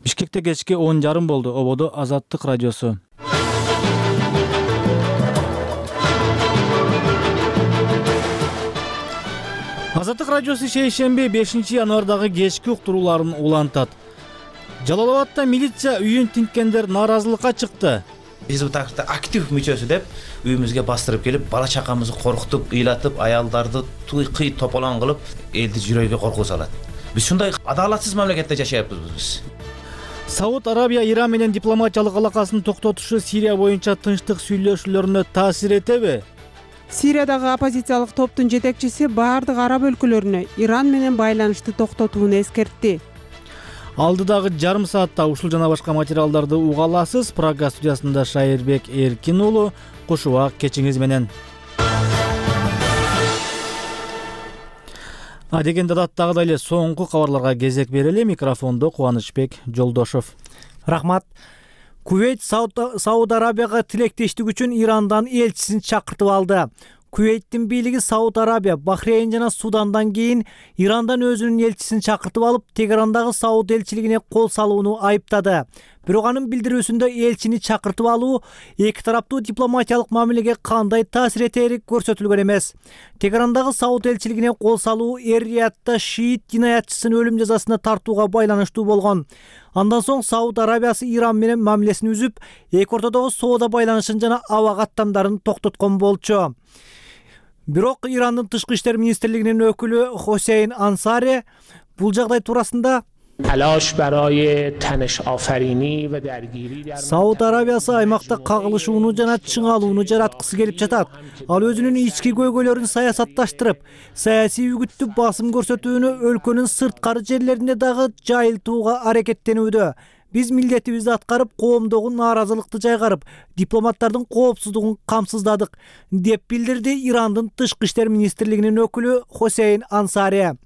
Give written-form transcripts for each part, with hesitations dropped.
Бишкекте кечки 10:30 болду. Ободо Азаттык радиосу. Азаттык радиосу шейшемби 5-январдагы кечки уктурууларын улантат. Жалал-Абадта милиция үйүн тинткендер нааразылыкка чыкты. Биз бул тактыкта актив мүчөсү деп үйүбүзгө бастырып келип, бала чакамызды коркутуп, ыйлатып, аялдарды кый тополон кылып, элди жүрөгүгө коркуу салат. Биз ушундай адалатсыз мамлекетте жашайбыз биз. Сауд Арабия Иран менен дипломатиялык алакасын токтотушу Сирия боюнча тынчтык сүйлөшүүлөрүнө таасир этеби? Сириядагы оппозициялык топтун жетекчиси баардык араб өлкөлөрүнө Иран менен байланышты токтотууну эскертти. Алдыдагы жарым саатта ушул жана башка материалдарды уга аласыз. Прага студиясында Шайырбек Эркин уулу. Куш убак кечиңиз менен. Дегенде даттагыдай эле соңку кабарларга кезек берели. Микрофондо Кубанычбек Жолдошов. Рахмат. Кувейт Сауд Арабияга тилектештик үчүн Ирандан элчисин чакыртып алды. Кувейттин бийлиги Сауд Арабия, Бахрейн жана Судандан кийин Ирандан өзүнүн элчисин чакыртып алып, Тегерандагы Сауд элчилигине кол салууну айыптады. Бирок анын билдирүүсүндө элчини чакыртып алуу эки тараптуу дипломатиялык мамилеге кандай таасир этери көрсөтүлгөн эмес. Тегерандагы Сауд элчилигине кол салуу Эр-Риядда шиит динаятчысын өлүм жазасына тартууга байланыштуу болгон. Андан соң Сауд Арабиясы Иран менен мамилесин үзүп, эки ортодогу соода байланышын жана аба каттамдарын токтоткон болчу. Бирок Ирандын тышкы иштер министрлигинин өкүлү Хосейн Ансари бул жагдай туурасында Сауд Арабиясы аймакта кагылышууну жана чыңалууну жараткысы келип жатат. Ал өзүнүн ички көйгөйлөрүн саясатташтырып, саясий үгүттү басым көрсөтүүнү өлкөнүн сырткары жерлерине дагы жайылтууга аракеттенүүдө. Биз милдетибизди аткарып, коомдогу нааразылыкты жайгарып, дипломаттардын коопсуздугун камсыздадык, деп билдирди Ирандын тышкы иштер министрлигинин өкүлү Хосейн Ансари.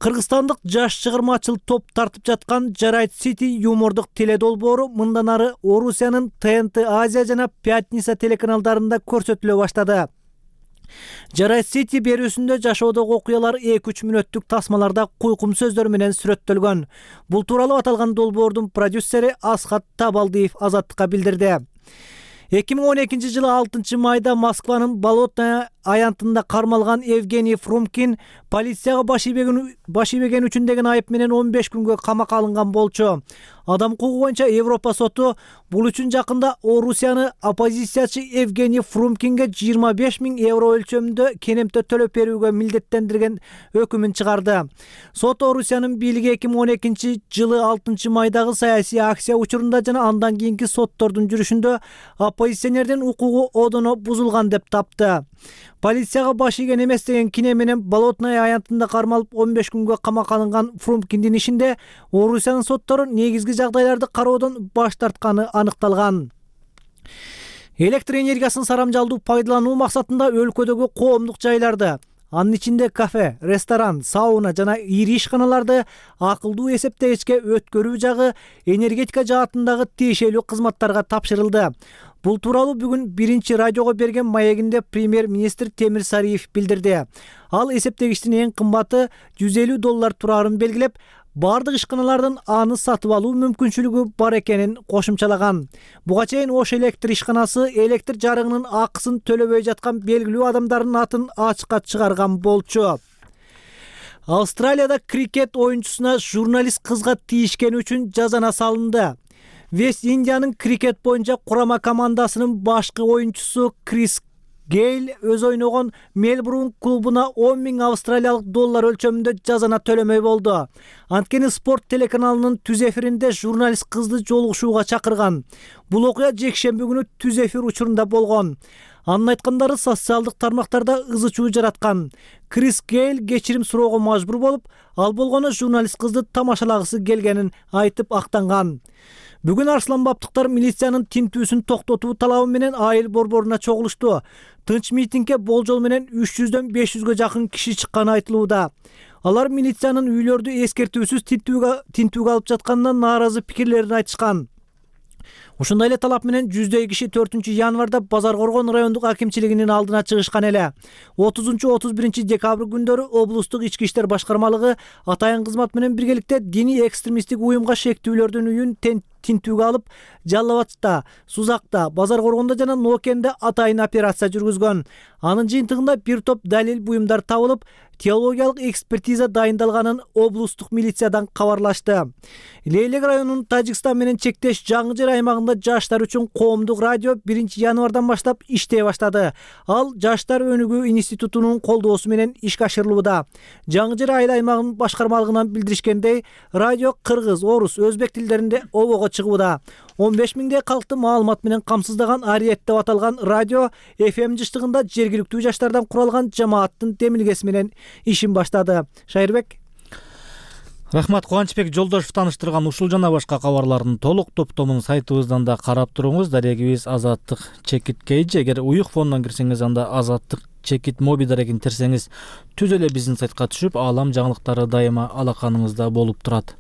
Кыргызстандык жаш чыгармачыл топ тартып жаткан Жарайт Сити юмордук теледолбоору мындан ары Орусиянын ТНТ Азия жана Пятница телеканалдарында көрсөтүлө баштады. Жарайт Сити берүүсүндө жашоодогу окуялар 2-3 мүнөттүк тасмаларда куйкум сөздөр менен сүрөттөлгөн. Бул тууралуу аталган долбоордун продюсери Асхат Табалдиев Азаттыкка билдирди. 2012 6 майда Москванын Болотное аянтында кармалган Евгений Фрумкин полицияга баш ийбеген үчүн деген айып менен 15 күнгө камакка алынган болчу. Адам укугу боюнча Европа соту бул үчүн жакында Орусияны оппозициячы Евгений Фрумкинге 25 000 евро өлчөмүндө кенемтө төлөп берүүгө милдеттендирген өкүмүн чыгарды. Сот Орусиянын бийлиги 2012 6 майдагы саясий акция учурунда жана андан кийинки соттордун жүрүшүндө оппозиционердин укугу одоно бузулган деп тапты. Полицияга баш ийген эмес деген кине менен Болотное аянтында кармалып 15 күнгө камакка алынган Фрумкиндин ишинде Орусиянын соттору негизги жагдайларды кароодон баш тартканы аныкталган. Электр энергиясын сарамжалдуу пайдалануу максатында өлкөдөгү коомдук жайларды, анын ичинде кафе, ресторан, сауна жана ири ишканаларды акылдуу эсептегичке өткөрүү жагы энергетика жаатындагы тиешелүү кызматтарга тапшырылды. Бул тууралуу бүгүн биринчи радиого берген маегинде премьер-министр Темир Сариев билдирди. Ал эсептегичтин эң кымбаты $150 тураарын белгилеп, бардык ишканалардын аны сатып алуу мүмкүнчүлүгү бар экенин кошумчалаган. Буга чейин Ош электр ишканасы электр жарыгынын акысын төлөбөй жаткан белгилүү адамдардын атын ачыкка чыгарган болчу. Австралияда крикет оюнчусуна журналист кызга тийишкени үчүн жазана салынды. Вест Индиянын крикет боюнча курама командасынын башкы оюнчусу Крис Гейл өз ойногон Мельбурн клубуна $10 000 өлчөмүндө жазана төлөмөй болду. Анткени спорт телеканалынын түз эфиринде журналист кызды жолугушууга чакырган. Бул окуя жекшемби күнү түз эфир учурунда болгон. Анын айткандары социалдык тармактарда ызы чуу жараткан. Крис Гейл кечирим суроого мажбур болуп, ал болгону журналист кызды тамашалагысы келгенин айтып актанган. Бүгүн арсланбаптыктар милициянын тинтүүсүн токтотуу талабы менен айыл борборуна чогулушту. Тынч митингге болжол менен 300-дөн 500гө жакын киши чыкканы айтылууда. Алар милициянын үйлөрдү эскертүүсүз тинтүүгө алып жатканына нааразы пикирлерин айтышкан. Ушундай эле талап менен 100 киши 4-январда Базар Коргон райондук акимчилигинин алдына чыгышкан эле. 30-31 декабрь күндөрү облустук ички иштер башкармалыгы атайын кызмат менен биргеликте диний экстремисттик уюмга шектүүлөрдүн үйүн тинтүүгө алып, Жалал Абадта, Сузакта, Базар Коргондо жана Нокенде атайын операция жүргүзгөн. Анын жыйынтыгында бир топ далил буюмдар табылып, теологиялык экспертиза дайындалганын облустук милициядан кабарлашты. Лейлек районунун Тажикстан менен чектеш Жаңы Жер аймагында жаштар үчүн коомдук радио 1-январдан баштап иштей баштады. Ал Жаштар өнүгүү институтунун колдоосу менен ишке ашырылууда. Жаңы Жер айыл аймагынын башкармалыгынан билдиришкендей, радио кыргыз, орус, өзбек тилдеринде обого чыгууда. 15 миңдей калкты маалымат менен камсыздаган Ариет деп аталган радио FM жыштыгында жергиликтүү жаштардан куралган жамааттын демилгеси менен ишин баштады. Шайырбек. Рахмат, Кубанычбек Жолдошев тааныштырган ушул жана башка кабарлардын толук топтомун сайтыбыздан да карап туруңуз. Дарегибиз Азаттык Чекит Кейджи. Эгер уюк фондон кирсеңиз, анда Азаттык Чекит моби дарегин терсеңиз, түз эле биздин сайтка түшүп, аалам жаңылыктары дайыма алаканыңызда болуп турат.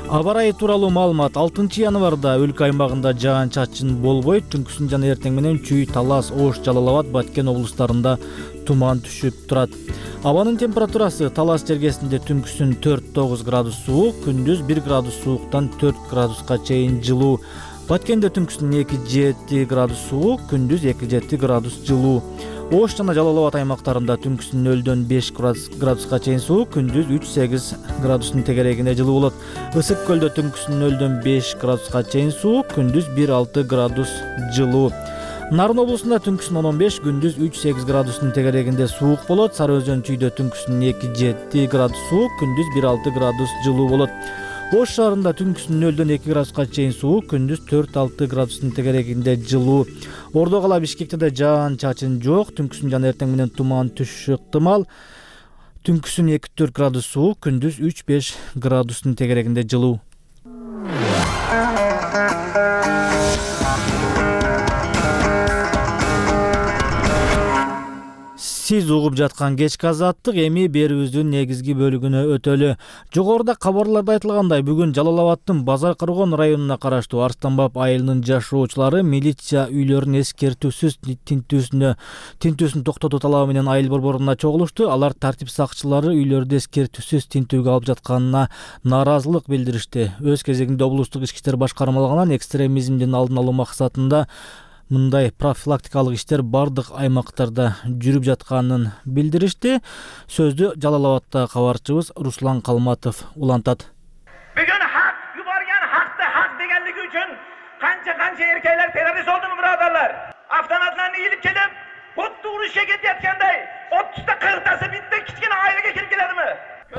Аба ырайы тууралуу маалымат. 6-январда өлкө аймагында жаан-чачын болбой, түнкүсүн жана эртең менен Чүй, Талас, Ош, Жалал Абад, Баткен облустарында туман түшүп турат. Абанын температурасы Талас жергесинде түнкүсүн 4-9 градус суук, күндүз 1 градус сууктан 4 градуска чейин жылуу. Баткенде түнкүсүн 2-7 градус суук, күндүз 2-7 градус жылуу. Ош жана Жалал Абад аймактарында түнкүсүн 0-дөн 5 градуска чейин суук, күндүз 3-8 градустун тегерегинде жылуу болот. Ысык көлдө түнкүсүн 0-дөн 5 градуска чейин суук, күндүз 1-6 градус жылуу. Нарын облусунда түнкүсүн 10-15, күндүз 3-8 градустун тегерегинде суук болот. Сары Өзөн Чүйдө түнкүсүн 2-7 градус суук, күндүз 1-6 градус жылуу болот. Ош шаарында түнкүсүн 0-дөн 2 градуска чейин суук, күндүз 4-6 градустун тегерегинде жылуу. Ордо кала Бишкекте да жаан-чачын жок, түнкүсүн жана эртең менен туман түшүшү ыктымал. Түнкүсүн 2-4 градус суук, күндүз 3-5 градустун тегерегинде жылуу. Сиз угуп жаткан кечки азаттык эми берүүбүздүн негизги бөлүгүнө өтөлү. Жогоруда кабарларда айтылгандай, бүгүн Жалал Абадтын Базар Коргон районуна караштуу Арстанбап айылынын жашоочулары милиция үйлөрүн эскертүүсүз тинтүүсүн токтотуу талабы менен айыл борборуна чогулушту. Алар тартип сакчылары үйлөрдү эскертүүсүз тинтүүгө алып жатканына нааразылык билдиришти. Өз кезегинде облустук ички иштер башкармалыгынан экстремизмдин алдын алуу максатында мындай профилактикалык иштер бардык аймактарда жүрүп жатканын билдиришти. Сөздү Жалал Абадта кабарчыбыз Руслан Калматов улантат. Бүгүн хак юбарган хакты хак дегенлиги үчүн канча эркектер террорист болдуму, бирадарлар? Автоматтарны ийилип келип, хоту урушка кетаткандай, 30та 40тасы битте кичкене айлыга кирип келедими?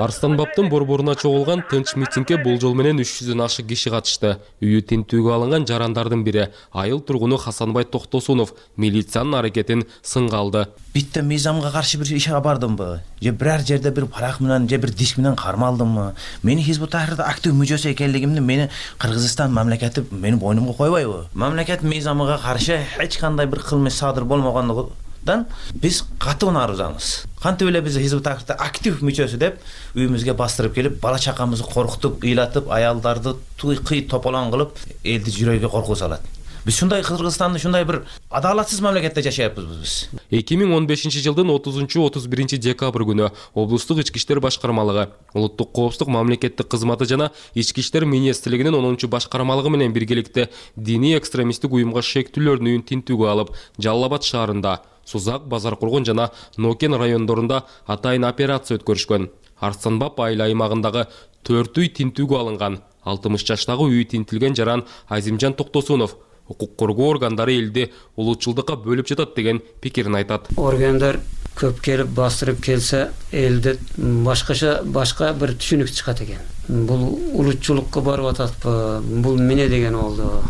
Арстанбаптын борборуна чогулган тынч митингге болжол менен 300дөн ашык киши катышты. Үйү тинтүүгө алынган жарандардын бири айыл тургуну Хасанбай Токтосунов милициянын аракетин сынга алды. Битте мыйзамга каршы бир ишке бардымбы? Же бирер жерде бир парак менен, же бир диск менен кармалдымбы? Мени Хизбут Тахрирда актив мүчөсү экенлигимди мени Кыргызстан мамлекети мени бойнумга койбойбу? Мамлекет мыйзамга каршы эч кандай бир кылмыш садыр болмогондугунан биз катуу нааразамыз. Кантип эле биз Хизбут Тахрирда актив мүчөсү деп үйүмүзгө бастырып келип, бала чакамызды коркутуп, ыйлатып, аялдарды кый тополон кылып, элди жүрөгүгө коркуу салат. Биз ушундай Кыргызстанда ушундай бир адалатсыз мамлекетте жашайбыз биз. 2015-жылдын 30-31 декабрь күнү облустук ички иштер башкармалыгы, улуттук коопсуздук мамлекеттик кызматы жана ички иштер министрлигинин 10-башкармалыгы менен биргеликте диний экстремисттик уюмга шектүүлөрдүн үйүн тинтүүгө алып, Жалал Абад шаарында, Сузак, Базар Коргон жана Нокен райондорунда атайын операция өткөрүшкөн. Арстанбап айыл аймагындагы 4 үй тинтүүгө алынган. 60 жаштагы үйү тинтилген жаран Азимжан Токтосунов укук коргоо органдары элди улуутчулдукка бөлүп жатат деген пикирин айтат. Органдар көп келип бастырып келсе, элде башка бир түшүнүк чыгат экен. Бул улуутчулукка барып ататпы? Бул эмне деген болду?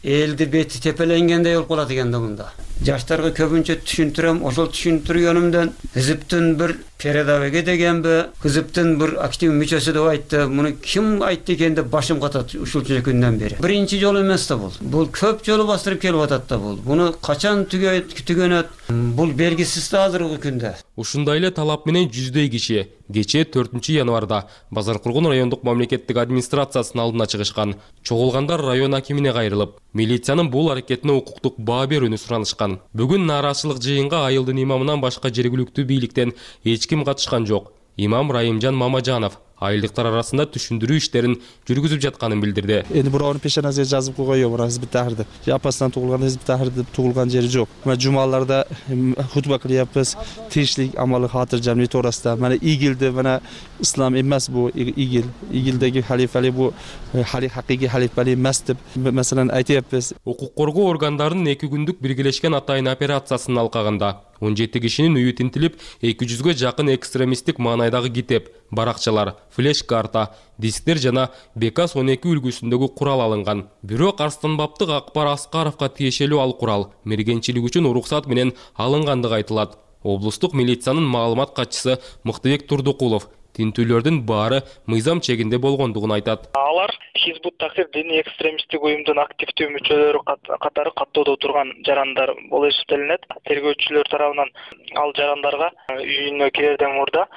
Элди бети тепеленгендей болуп калат экен да мында. Жаштарга көбүнчө түшүндүрөм, ошол түшүндүргөнүмдөн Хизиптин бир передовиги дегенби, Хизиптин бир актив мүчөсү деп айтты. Муну ким айтты экен деп башым катат ушунча күндөн бери. Биринчи жолу эмес да бул. Бул көп жолу бастырып келип атат да бул. Буну качан түгөнөт? Бул белгисиз да азыркы күндө. Ушундай эле талап менен жүздөй киши кечээ 4-январда Базаркулгун райондук мамлекеттик администрациясынын алдына чыгышкан. Чогулгандар район акимине кайрылып, милициянын бул аракетине укуктук баа берүүнү суранышкан. Бүгүн нааразычылык жыйынга айылдын имамынан башка жергиликтүү бийликтен эч ким катышкан жок. Имам Райымжан Мамажанов айылдыктар арасында түшүндүрүү иштерин жүргүзүп жатканын билдирди. Эndi birovni peshonasiga жазып койгон бирок Hizbut Tahrir. Апасынан тугулган Hizbut Tahrir деп тугулган жери жок. Мына жумаларда хутба кылябыз, тирешлик амалы хатыржам тоорасында. Мына игилди, мына ислам эмес бу игил. Игилдеги халифалык бу хакыйкый халифалык эмес деп маселени айтыппыз. Укук коргоо органдарынын 2 күндүк биргелешкен атайын операциясынын алкагында 17 кишинин үйү тинтилип, 200-гө жакын экстремисттик маанайдагы китеп, баракчалар, флеш-карта, дисктер жана БК-12 үлгүсүндөгү курал алынган. Бирок Арстанбаптык Акбар Аскаровго тиешелүү ал курал мергенчилик үчүн уруксат менен алынгандыгы айтылат. Облустук милициянын маалымат катчысы Мыктыбек Турдукулов тинтүүлөрдүн баары мыйзам чегинде болгондугун айтат. Алар Hizbut Tahrir диний экстремисттик уюмдун активдүү мүчөлөрү катары каттоодо турган жарандар болуп эсептелинет. Тергөөчүлөр тарабынан ал жарандарга үйүнө кирерден мурда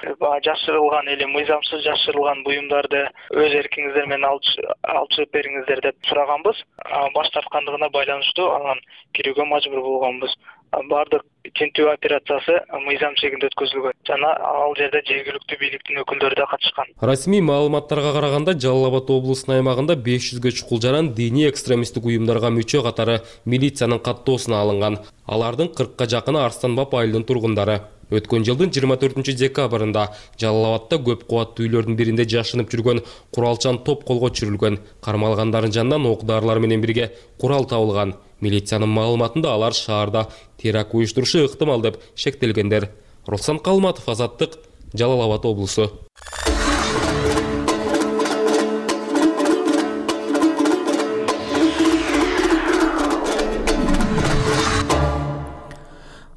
жашырылган эле мыйзамсыз жашырылган буюмдарды өз эркиңиздер менен алып чыгып бериңиздер деп сураганбыз. Баш тарткандыгына байланыштуу анан кирүүгө мажбур болгонбуз. Бардык тинтүү операциясы мыйзам чегинде өткөзүлгөн жана ал жерде жергиликтүү бийликтин өкүлдөрү да катышкан. Расмий маалыматтарга караганда Жалал Абад облусунун аймагында 500гө чукул жаран диний экстремисттик уюмдарга мүчө катары милициянын каттоосуна алынган. Алардын 40ка жакыны Арстанбап айылынын тургундары. Өткөн жылдын 24-декабрында Жалал Абадта көп кубаттуу үйлөрдүн биринде жашынып жүргөн куралчан топ колго түшүрүлгөн. Кармалгандардын жанынан ок-дарылар менен бирге курал табылган. Милициянын маалыматында алар шаарда теракт уюштурушу ыктымал деп шектелгендер. Руслан Калматов, Азаттык, Жалал Абад облусу.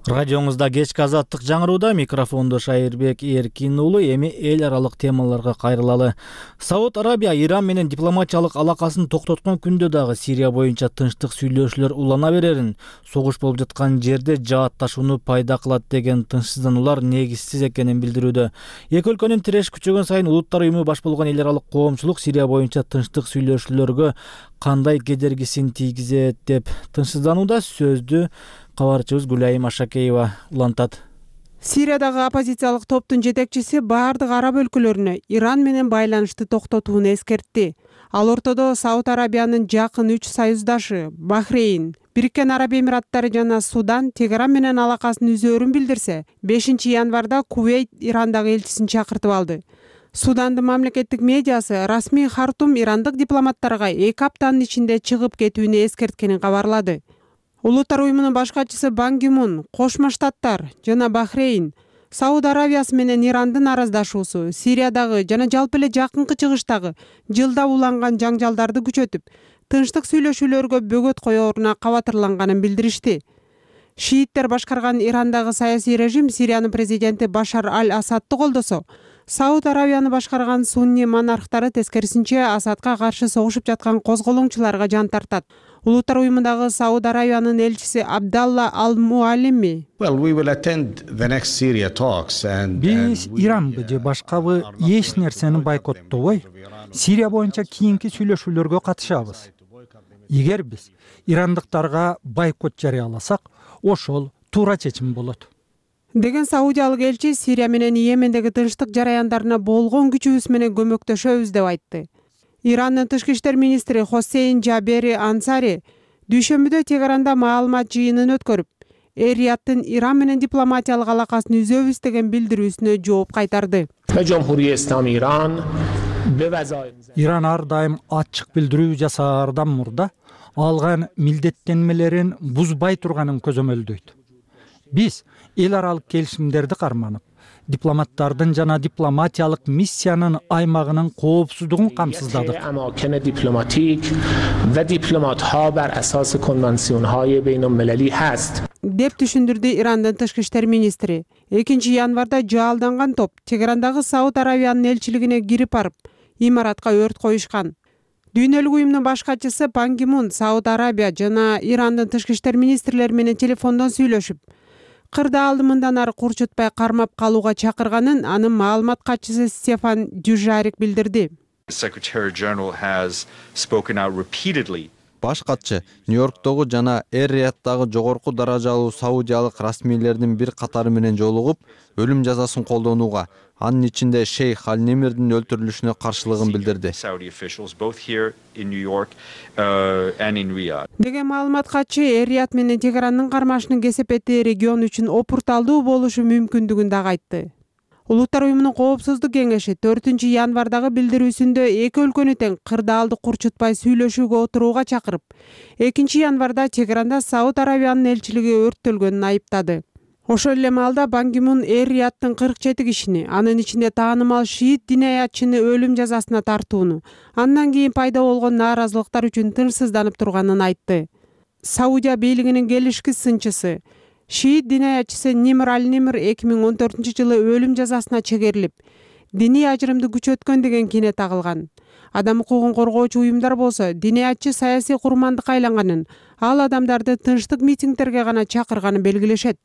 Радионузда кечки Азаттык жаңырууда, микрофондо Шайырбек Эркин уулу. Эми эл аралык темаларга кайрылалы. Сауд Арабия Иран менен дипломатиялык алакасын токтоткон күндө дагы Сирия боюнча тынчтык сүйлөшүүлөр улана берерин, согуш болуп жаткан жерде жаатташууну пайда кылат деген тынчсыздануулар негизсиз экенин билдирүүдө. Эки өлкөнүн тиреш күчөгөн сайын Улуттар уюму баш болгон эл аралык коомчулук Сирия боюнча тынчтык сүйлөшүүлөргө кандай кедергисин тийгизет деп тынчсызданууда. Сөздү кабарчыбыз Гүлайым Ашакеева улантат. Сириядагы оппозициялык топтун жетекчиси баардык араб өлкөлөрүнө Иран менен байланышты токтотууну эскертти. Ал ортодо Сауд Арабиянын жакын 3 союздашы Бахрейн, Бириккен Араб Эмираттары жана Судан Тегеран менен алакасын үзөөрүн билдирсе, 5-январда Кувейт Ирандагы элчисин чакыртып алды. Судандын мамлекеттик медиасы расмий Хартум ирандык дипломаттарга 2 аптанын ичинде чыгып кетүүнү эскерткенин кабарлады. Улуттар уюмунун баш катчысы Бан Ки Мун, Кошмо Штаттар жана Бахрейн, Сауд Арабиясы менен Ирандын араздашуусу Сириядагы жана жалпы эле жакынкы чыгыштагы жылда уланган жаңжалдарды күчөтүп, тынчтык сүйлөшүүлөргө бөгөт коеруна кабатырланганын билдиришти. Шииттер башкарган Ирандагы саясий режим Сириянын президенти Башар аль-Асадты колдосо, Сауд Арабияны башкарган сунни монархтары тескерисинче Асадка каршы согушуп жаткан козголоңчуларга жан тартат. Улуттар уюмундагы Сауд Арабиянын элчиси Абдалла Ал-Муалими биз Иранбы же башкабы эч нерсени бойкоттобой, Сирия боюнча кийинки сүйлөшүүлөргө катышабыз. Эгер биз ирандыктарга бойкот жарыяласак, ошол туура чечим болот деген саудиялык элчи Сирия менен Йемендеги тынчтык жараяндарына болгон күчүбүз менен көмөктөшөбүз деп айтты. Ирандын тышкы иштер министри Хосейн Жабери Ансари дүйшөмбүдө Тегеранда маалымат жыйынын өткөрүп, Эр-Рияттын Иран менен дипломатиялык алакасын үзөбүз деген билдирүүсүнө жооп кайтарды. Иран ар дайым ачык билдирүү жасаардан мурда алган милдеттенмелерин бузбай турганын көзөмөлдөйт. Биз эл аралык келишимдерди карманып, дипломаттардын жана дипломатиялык миссиянын аймагынын коопсуздугун камсыздадык. Деп түшүндүрдү Ирандын тышкы иштер министри. 2-январда жаалданган топ Тегерандагы Сауд Арабиянын элчилигине кирип барып, имаратка өрт коюшкан. Дүйнөлүк уюмдун баш катчысы Бан Ки Мун Сауд Арабия жана Ирандын тышкы иштер министрлери менен телефондон сүйлөшүп, кырды алды мындан ары курчутпай кармап калууга чакырганын анын маалымат катчысы Стефан Дюжарик билдирди. Баш катчы Нью-Йорктогу жана Эр-Рияттагы жогорку даражалуу саудиялык расмийлердин бир катары менен жолугуп, өлүм жазасын колдонууга, анын ичинде шейх Аль-Немирдин өлтүрүлүшүнө каршылыгын билдирди. Деген маалымат катчы Эр-Рият менен Тегерандын кармашынын кесепети регион үчүн опурталдуу болушу мүмкүндүгүн дагы айтты. Улуттар уюмунун коопсуздук кеңеши 4 январдагы билдирүүсүндө эки өлкөнү тең кырды алды курчутпай сүйлөшүүгө отурууга чакырып, 2 январда Тегеранда Сауд Арабиянын элчилиги өрттөлгөнүн айыптады. Ошол эле маалда Бан Ки Мун Эр-Рияттын 47 кишини, анын ичинде таанымал шиит динаятчыны өлүм жазасына тартууну, андан кийин пайда болгон нааразылыктар үчүн тынчсызданып турганын айтты. Саудия бийлигинин келишкис сынчысы шиит динаятчысы Нимр Аль-Нимр 2014-жылы өлүм жазасына чегерилип, диний ажырымды күчөткөн деген кине тагылган. Адам укугун коргоочу уюмдар болсо динаятчы саясий курмандыкка айланганын, ал адамдарды тынчтык митингдерге гана чакырганын белгилешет.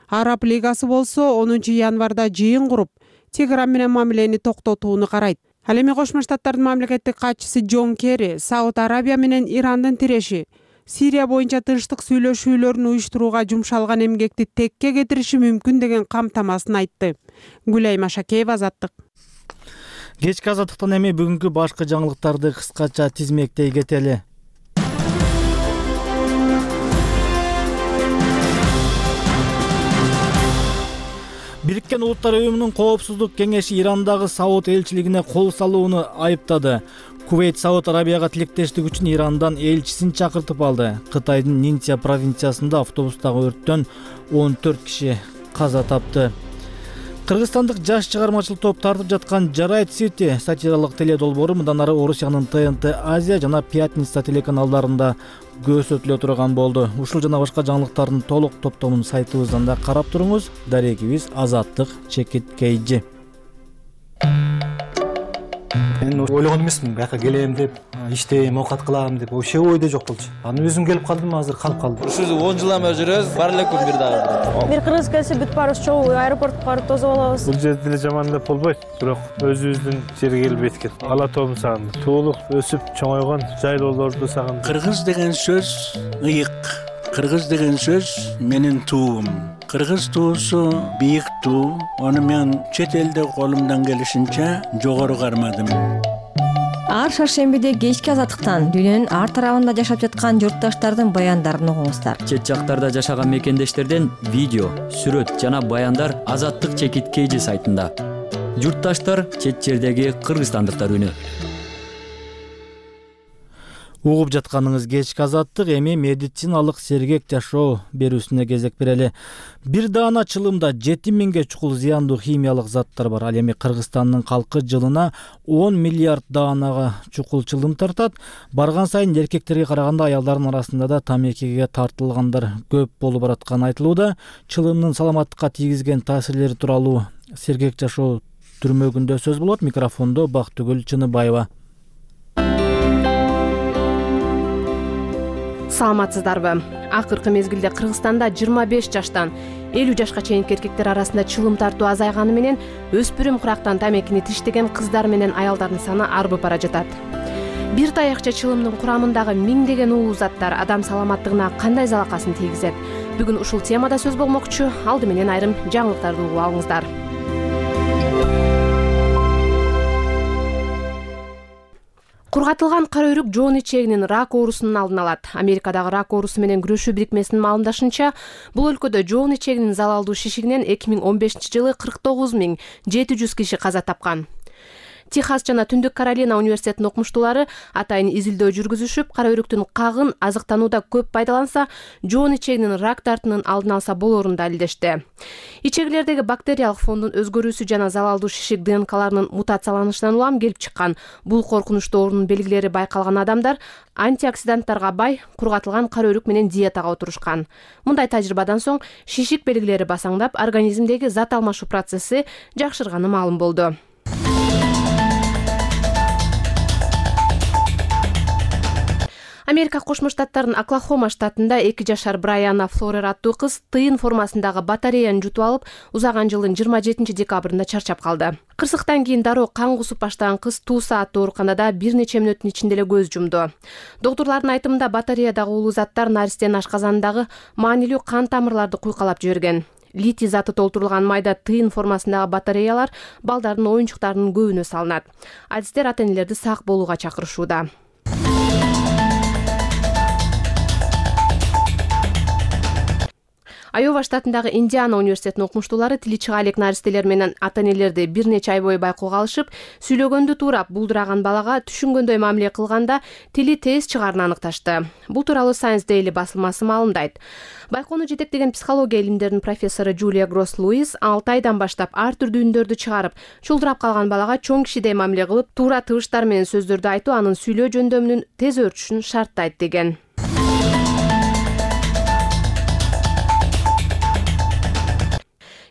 Араб лигасы болсо 10 январда жыйын куруп, Тегеран менен мамилени токтотууну карайт. Ал эми Кошмо Штаттардын мамлекеттик катчысы Джон Керри Сауд Арабия менен Ирандын тиреши Сирия боюнча тынчтык сүйлөшүүлөрүн уюштурууга жумшалган эмгекти текке кетириши мүмкүн деген камтамасын айтты. Гүлайым Ашакеева, Азаттык. Кечки Азаттыктан эми бүгүнкү башкы жаңылыктарды кыскача тизмектей кетели. Бириккен Улуттар уюмунун коопсуздук кеңеши Ирандагы Сауд элчилигине кол салууну айыптады. Кувейт Сауд Арабияга тилектештик үчүн Ирандан элчисин чакыртып алды. Кытайдын Нинтия провинциясында автобустагы өрттөн 14 киши каза тапты. Кыргызстандык жаш чыгармачыл топ тартып жаткан Жарайт Сити сатиралык теледолбоору мындан ары Орусиянын ТНТ Азия жана Пятница телеканалдарында көрсөтүлө турган болду. Ушул жана башка жаңылыктардын толук топтомун сайтыбыздан да карап туруңуз. Дарегибиз Азаттык Чекиткейжи. Мен ойлогон эмесмин бияка келем деп, иштейм, оокат кылам деп, вообще ойдо жок болчу. Анан өзүм келип калдым, азыр калып калдым. Ушул 10 жылдан бери жүрөбүз, бар эле күн бир дагы. Бир кыргыз келсе бүт баарыбыз чогуу аэропортко барып тосуп алабыз. Бул жерде деле жаман деп болбойт, бирок өзүбүздүн жерге келип эткел. Ала тообун сагындым. Туулук, өсүп чоңойгон жайлоолорду сагындым. Кыргыз деген сөз ыйык. Кыргыз деген сөз менин туум. Кыргыз туусу бийик туу. Аны мен чет элде колумдан келишинче жогору кармадым. Ар шаршембиде кечки Азаттыктан дүйнөнүн ар тарабында жашап жаткан журтташтардын баяндарын угуңуздар. Чет жактарда жашаган мекендештерден видео, сүрөт жана баяндар Азаттык Чекиткейжи сайтында. Журтташтар чет жердеги кыргызстандыктар үнү. Угуп жатканыңыз кечки Азаттык, эми медициналык сергек жашоо берүүсүнө кезек берели. Бир даана чылымда 7000ге чукул зыяндуу химиялык заттар бар. Ал эми Кыргызстандын калкы жылына 10 миллиард даанага чукул чылым тартат. Барган сайын эркектерге караганда аялдардын арасында да тамекиге тартылгандар көп болуп баратканы айтылууда. Чылымдын саламаттыкка тийгизген таасирлери тууралуу сергек жашоо түрмөгүндө сөз болот. Микрофондо Бактыгүл Чыныбаева. Саламатсыздарбы? Акыркы мезгилде Кыргызстанда 25 жаштан 50 жашка чейинки эркектер арасында чылым тартуу азайганы менен өспүрүм курактан тамекини тиштеген кыздар менен аялдардын саны арбып бара жатат. Бир таякча чылымдын курамындагы миңдеген уулуу заттар адам саламаттыгына кандай залакасын тийгизет? Бүгүн ушул темада сөз болмокчу. Алды менен айрым жаңылыктарды угуп алыңыздар. Кургатылган кара өрүк жоон ичегинин рак оорусунун алдын алат. Америкадагы рак оорусу менен күрөшүү бирикмесинин маалымдашынча, бул өлкөдө жоон ичегинин залалдуу шишигинен 2015-жылы 49700 киши каза тапкан. Техас жана Түндүк Каролина университетинин окумуштуулары атайын изилдөө жүргүзүшүп, кара өрүктүн кагын азыктанууда көп пайдаланса, жоон ичегинин рак дартынын алдын алса болоорун далилдешти. Ичегилердеги бактериялык фондун өзгөрүүсү жана залалдуу шишик ДНКларынын мутацияланышынан улам келип чыккан. Бул коркунучтуу оорунун белгилери байкалган адамдар антиоксиданттарга бай кургатылган кара өрүк менен диетага отурушкан. Мындай тажрыйбадан соң шишик белгилери басаңдап, организмдеги зат алмашуу процесси жакшырганы маалым болду. Америка Кошмо Штаттарынын Оклахома штатында 2 жашар Брайана Флорер аттуу кыз тыйын формасындагы батареяны жутуп алып, узаган жылдын 27 декабрында чарчап калды. Кырсыктан кийин дароо кан кусуп баштаган кыз 2 сааттуу ооруканада бир нече мүнөттүн ичинде эле көз жумду. Доктурлардын айтымында батареядагы уулуу заттар наристенин ашказанындагы маанилүү кан тамырларды куйкалап жиберген. Литий заты толтурулган майда тыйын формасындагы батареялар балдардын оюнчуктарынын көбүнө салынат. Адистер ата-энелерди сак болууга чакырышууда. Айова штатындагы Индиана университетинин окумуштуулары тили чыга элек наристелер менен ата-энелерди бир нече ай бою байкоого алышып, сүйлөгөндү туурап булдураган балага түшүнгөндөй мамиле кылганда тили тез чыгаарын аныкташты. Бул тууралуу Science Daily басылмасы маалымдайт. Байкоону жетектеген психология илимдеринин профессору Джулия Гросс-Луис 6 айдан баштап ар түрдүү үндөрдү чыгарып, чулдурап калган балага чоң кишидей мамиле кылып, туура тыбыштар менен сөздөрдү айтуу анын сүйлөө жөндөмүнүн тез өөрчүшүн шарттайт деген.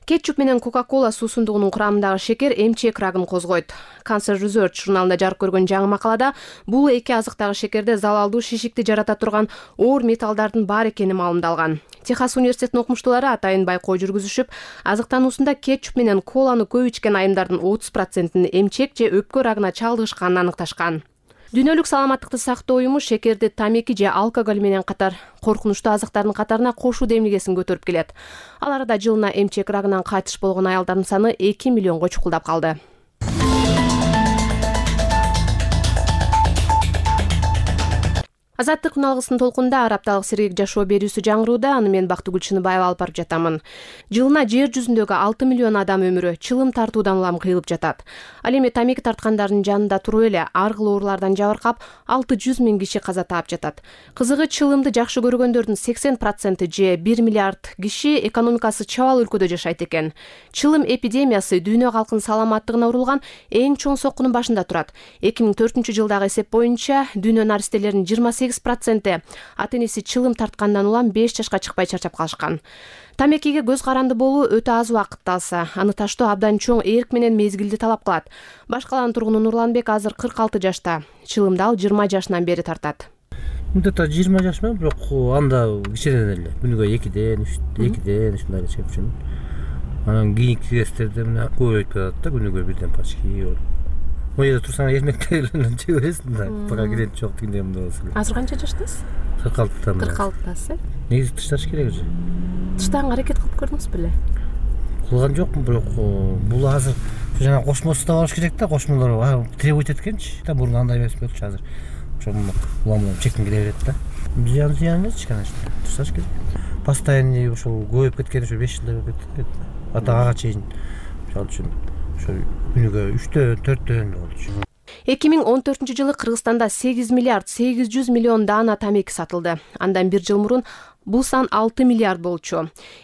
Кетчуп менен Coca-Cola суусундугунун курамындагы шекер эмчек рагын козгойт. Cancer Research журналында жарык көргөн жаңы макалада бул эки азыктагы шекерде залалдуу шишикти жарата турган оор металлдардын бар экени маалымдалган. Техас университетинин окумуштуулары атайын байкоо жүргүзүшүп, азыктануусунда кетчуп менен коланы көп ичкен айымдардын 30%-ын эмчек же өпкө рагына чалдыгышканын аныкташкан. Дүйнөлүк саламаттыкты сактоо уюму шекерди тамеки же алкоголь менен катар коркунучтуу азыктардын катарына кошуу демилгесин көтөрүп келет. Ал арада жылына эмчек рагынан кайтыш болгон аялдардын саны 2 миллионго чукулдап калды. Азаттык алгысынын толкунда арапталык сергек жашоо берүүсү жаңырууда. Аны мен Бактыгүл Чыныбаева алып барып жатамын. Жылына жер жүзүндөгү 6 миллион адам өмүрү чылым тартуудан улам кыйылып жатат. Ал эми тамеки тарткандардын жанында туруп эле ар кыл оорулардан жабыркап 600 миң киши каза таап жатат. Кызыгы чылымды жакшы көргөндөрдүн 80% же 1 миллиард киши экономикасы чабал өлкөдө жашайт экен. Чылым эпидемиясы дүйнө калкынын саламаттыгына урулган эң чоң соккунун башында турат. 2004-жылдагы эсеп боюнча дүйнө наристелеринин 28% ата-энеси чылым тарткандан улам 5 жашка чыкпай чарчап калышкан. Тамекиге көз каранды болуу өтө аз убакытты алса, аны таштоо абдан чоң эрк менен мезгилди талап кылат. Баш каланын тургуну Нурланбек азыр 46 жашта. Чылымды ал 20 жашынан бери тартат. Мындай 20 жаш менен, бирок анда кичинеден эле күнүгө 2ден ушундай эле чегип жүрмүн. Анан кийинки кездерде мына көбөйүп жатат да, күнүгө бирден почти. О жерде турсаң эрмектегилерден жей бересиң да, пока клиент жок дегендей мындай болсо. Азыр канча жаштасыз? 46-тан. 46-тасыз. Негизи тышташ керек же. Тыштаганга аракет кылып көрдүңүз беле? Кылган жокмун, бирок бул азыр жана кошмосу да болуш керек да, кошмолор требует эткенчи. Да мурун андай эмес болчу азыр. Ошо улам чектен келе берет да. Зыян эмес, конечно. Тышташ керек. Постоянный ошол көбөйүп кеткен, ошо 5 жылдай болуп кетти. Атага чейин. Ошол үчүн күнүгө 3дөн 4дөн болчу. 2014-жылы Кыргызстанда 8 миллиард 800 миллион даана тамеки сатылды. Андан бир жыл мурун бул сан 6 миллиард болчу.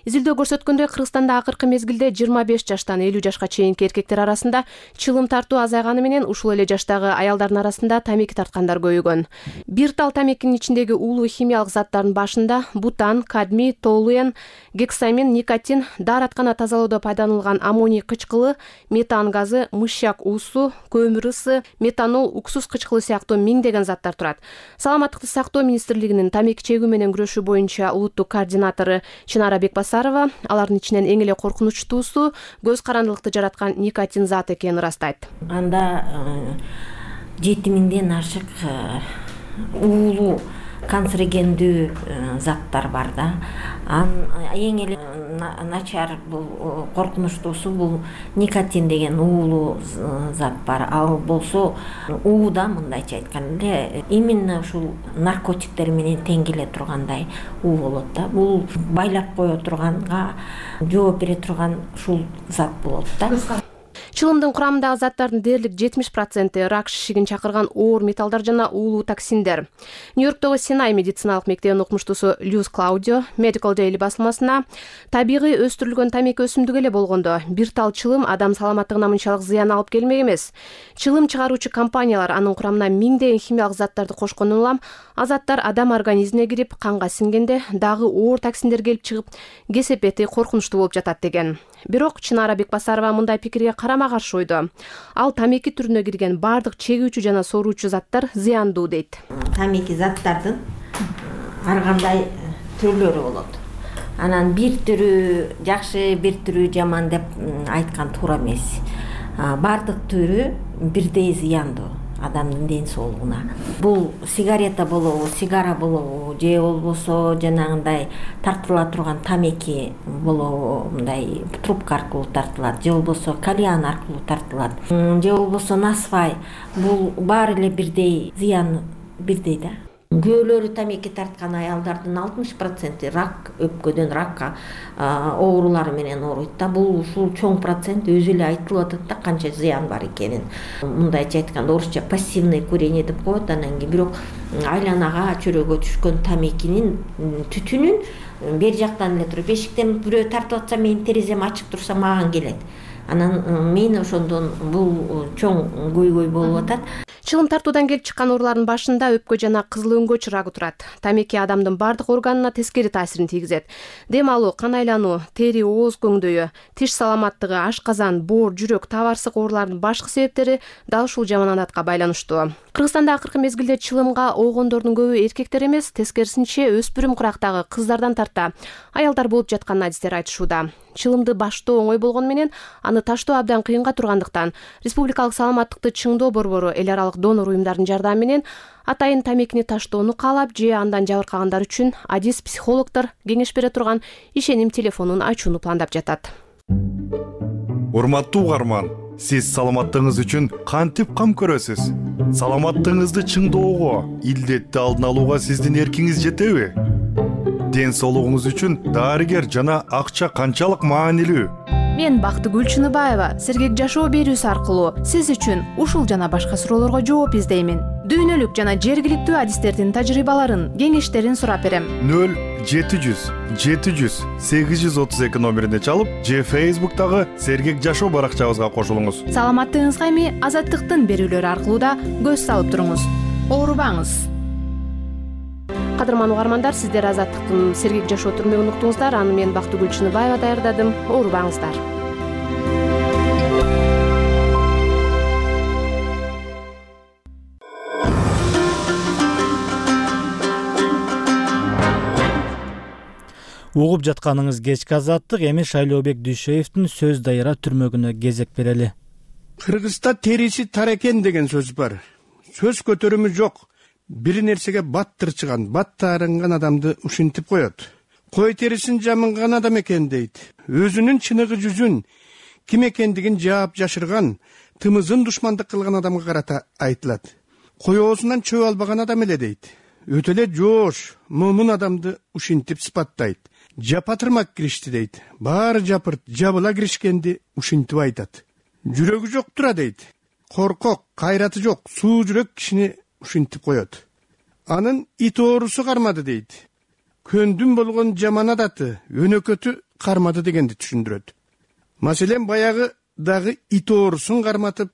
Изилдөө көрсөткөндөй, Кыргызстанда акыркы мезгилде 25 жаштан 50 жашка чейинки эркектер арасында чылым тартуу азайганы менен ушул эле жаштагы аялдардын арасында тамеки тарткандар көбөйгөн. Бир тал тамекинин ичиндеги уулуу химиялык заттардын башында бутан, кадмий, толуэн, гексамин, никотин, daarаткана тазалоодо пайдаланылган аммоний кычкылы, метан газы, мышьяк уусу, көмүр ысы, метанол, уксус кычкылы сыяктуу миңдеген заттар турат. Саламаттыкты сактоо министрлигинин тамеки чегүү менен күрөшүү боюнча улуттук координатору Чынара Бекбасарова алардын ичинен эң эле коркунучтуусу көз карандылыкты жараткан никотин зат экенин ырастайт. Анда 7000ден ашык уулуу канцерогендүү заттар бар да. Эң эле начар бул коркунучтуусу бул никотин деген уулуу зат бар. Ал болсо ууда мындайча айтканда именно ушул наркотиктер менен тең келе тургандай уу болот да. Бул байлап кое турганга жооп бере турган ушул зат болот да. Чылымдын курамындагы заттардын дээрлик 70% рак шишигин чакырган оор металлдар жана уулуу токсиндер. Нью-Йорктогу Синай медициналык мектебинин окумуштуусу Люс Клаудио Medical Daily басылмасына табигый өстүрүлгөн тамеки өсүмдүк эле болгондо бир тал чылым адам саламаттыгына мынчалык зыян алып келмек эмес. Чылым чыгаруучу компаниялар анын курамына миңдеген химиялык заттарды кошкондон улам азаттар адам организмине кирип канга сиңгенде дагы оор токсиндер келип чыгып кесепети коркунучтуу болуп жатат деген. Бирок Чынара Бекбасарова мындай пикирге карама каршы ойдо. Ал тамеки түрүнө кирген бардык чегүүчү жана соруучу заттар зыяндуу дейт. Тамеки заттардын ар кандай түрлөрү болот. Анан бир түрү жакшы, бир түрү жаман деп айткан туура эмес. Бардык түрү бирдей зыяндуу адамдын ден соолугуна. Бул сигарета болобу, сигара болобу, же болбосо жанагындай тартыла турган тамеки болобу, мындай трубка аркылуу тартылат, же болбосо кальян аркылуу тартылат, же болбосо насвай. Бул баары эле бирдей зыян, бирдей да. Күйөөлөрү тамеки тарткан аялдардын 60% рак, өпкөдөн ракка оорулары менен ооруйт да. Бул ушул чоң процент өзү эле айтылып атат да канча зыян бар экенин. Мындайча айтканда орусча пассивное курение деп коет. Анан кийин бирок айланага, чөрөгө түшкөн тамекинин түтүнүн бер жактан эле туруп, эшиктен бирөө тартып атса менин терезем ачык турса маган келет. Анан мен ошондон бул чоң көйгөй болуп атат. Чылым тартуудан келип чыккан оорулардын башында өпкө жана кызыл өңгө чырагы турат. Тамеки адамдын бардык органына тескери таасирин тийгизет. Дем алуу, кан айлануу, тери ооз көңдөйү, тиш саламаттыгы, ашказан, боор, жүрөк, табарсык оорулардын башкы себептери дал ушул жаман адатка байланыштуу. Кыргызстанда акыркы мезгилде чылымга оогондордун көбү эркектер эмес, тескерисинче өспүрүм курактагы кыздардан тарта аялдар болуп жатканын адистер айтышууда. Чылымды баштоо оңой болгону менен аны таштоо абдан кыйынга тургандыктан Республикалык саламаттыкты чыңдоо борбору эл аралык донор уюмдардын жардамы менен атайын тамекини таштоону каалап же андан жабыркагандар үчүн адис психологдор кеңеш бере турган ишеним телефонун ачууну пландап жатат. Урматтуу угарман, сиз саламаттыгыңыз үчүн кантип кам көрөсүз? Саламаттыгыңызды чыңдоого, илдетти алдын алууга сиздин эркиңиз жетеби? Ден соолугуңуз үчүн дарыгер жана акча канчалык маанилүү? Мен Бактыгүл Чыныбаева Сергек жашоо берүүсү аркылуу сиз үчүн ушул жана башка суроолорго жооп издеймин. Дүйнөлүк жана жергиликтүү адистердин тажрыйбаларын, кеңештерин сурап берем. 0700 700 832 номерине чалып, же Facebook'тагы Сергек жашоо баракчабызга кошулуңуз. Саламаттыгыңызга эми Азаттыктын берүүлөрү аркылуу да көз салып туруңуз. Оорубаңыз. Кадырман угармандар, сиздер Азаттыктын Сергек жашоо түрмөгүн уктуңуздар. Аны мен Бактыгүл Чыныбаева даярдадым. Оорубаңыздар. Угуп жатканыңыз кечки Азаттык. Эми Шайлообек Дүйшөевдин Сөз дайыра түрмөгүнө кезек берели. Кыргызда териси тар экен деген сөз бар. Сөз көтөрүмү жок. Бир нерсеге бат тырчыган, бат таарынган адамды ушинтип коет. Кой терисин жамынган адам экен дейт. Өзүнүн чыныгы жүзүн, ким экендигин жаап жашырган, тымызын душмандык кылган адамга карата айтылат. Коёосунан чөп албаган адам эле дейт. Өтө эле жоош, момун адамды ушинтип сыпаттайт. Жапатырмак киришти дейт. Баары жапырт, жабыла киришкенди ушинтип айтат. Жүрөгү жок тура дейт. Коркок, кайраты жок, суу жүрөк кишини ушинтип коет. Анын ит оорусу кармады дейт. Көндүм болгон жаман адаты, өнөкөтү кармады дегенди түшүндүрөт. Маселен, баягы дагы ит оорусун карматып,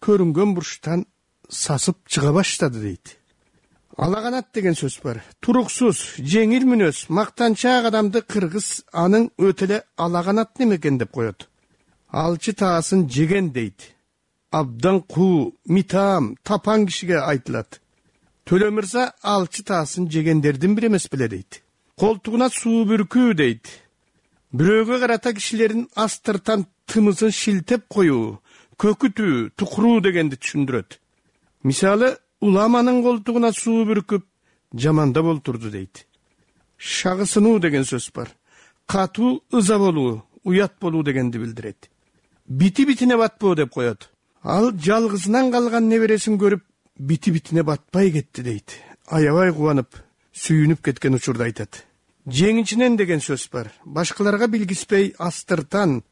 көрүнгөн бурчтан сасып чыга баштады дейт. Алаганат деген сөз бар. Туруксуз, жеңил мүнөз, мактанчаак адамды кыргыз анын өтө эле алаганат немекен деп коет. Алчы таасын жеген дейт. Абдан куу, митаам, тапан кишиге айтылат. Төлө мырза алчы таасын жегендердин бири эмес беле дейт. Колтугуна суу бүркүү дейт. Бирөөгө карата кишилердин астыртан тымызын шилтеп коюу, көкүтүү, тукуруу дегенди түшүндүрөт. Мисалы, уламанын колтугуна суу бүркүп, жамандап олтурду дейт. Шагысынуу деген сөз бар. Катуу, ыза болуу, уят болуу дегенди билдирет. Бити-битине батпоо деп коет. Ал жалгызынан калган небересин көрүп, бити-битине батпай кетти дейт. Аябай кубанып, сүйүнүп кеткен учурда айтат. Жеңичинен деген сөз бар. Башкаларга билгиспей астыртан,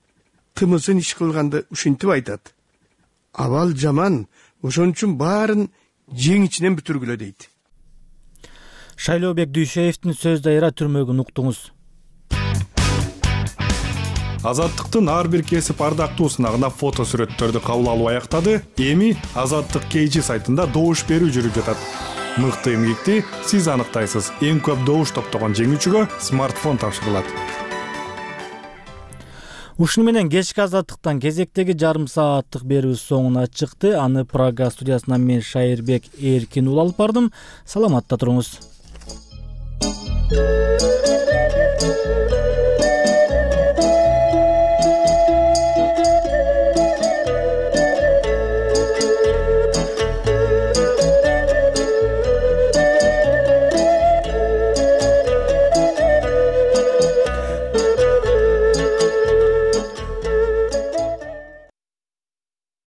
тымызын иш кылганды ушинтип айтат. Абал жаман, ошон үчүн баарын жеңичинен бүтүргүлө дейт. Шайлообек Дүйшөевдин Сөз дайыра түрмөгүн уктуңуз. Азаттыктын ар бир кесип ардактуу сынагына фото сүрөттөрдү кабыл алуу аяктады. Эми Азаттык KG сайтында добуш берүү жүрүп жатат. Мыкты эмгекти сиз аныктайсыз. Эң көп добуш топтогон жеңүүчүгө смартфон тапшырылат. Ушуну менен кечки азаттыктан кезектеги жарым сааттык берүүбүз соңуна чыкты. Аны Прага студиясынан мен Шайырбек Эркин ул алып бардым. Саламатта туруңуз.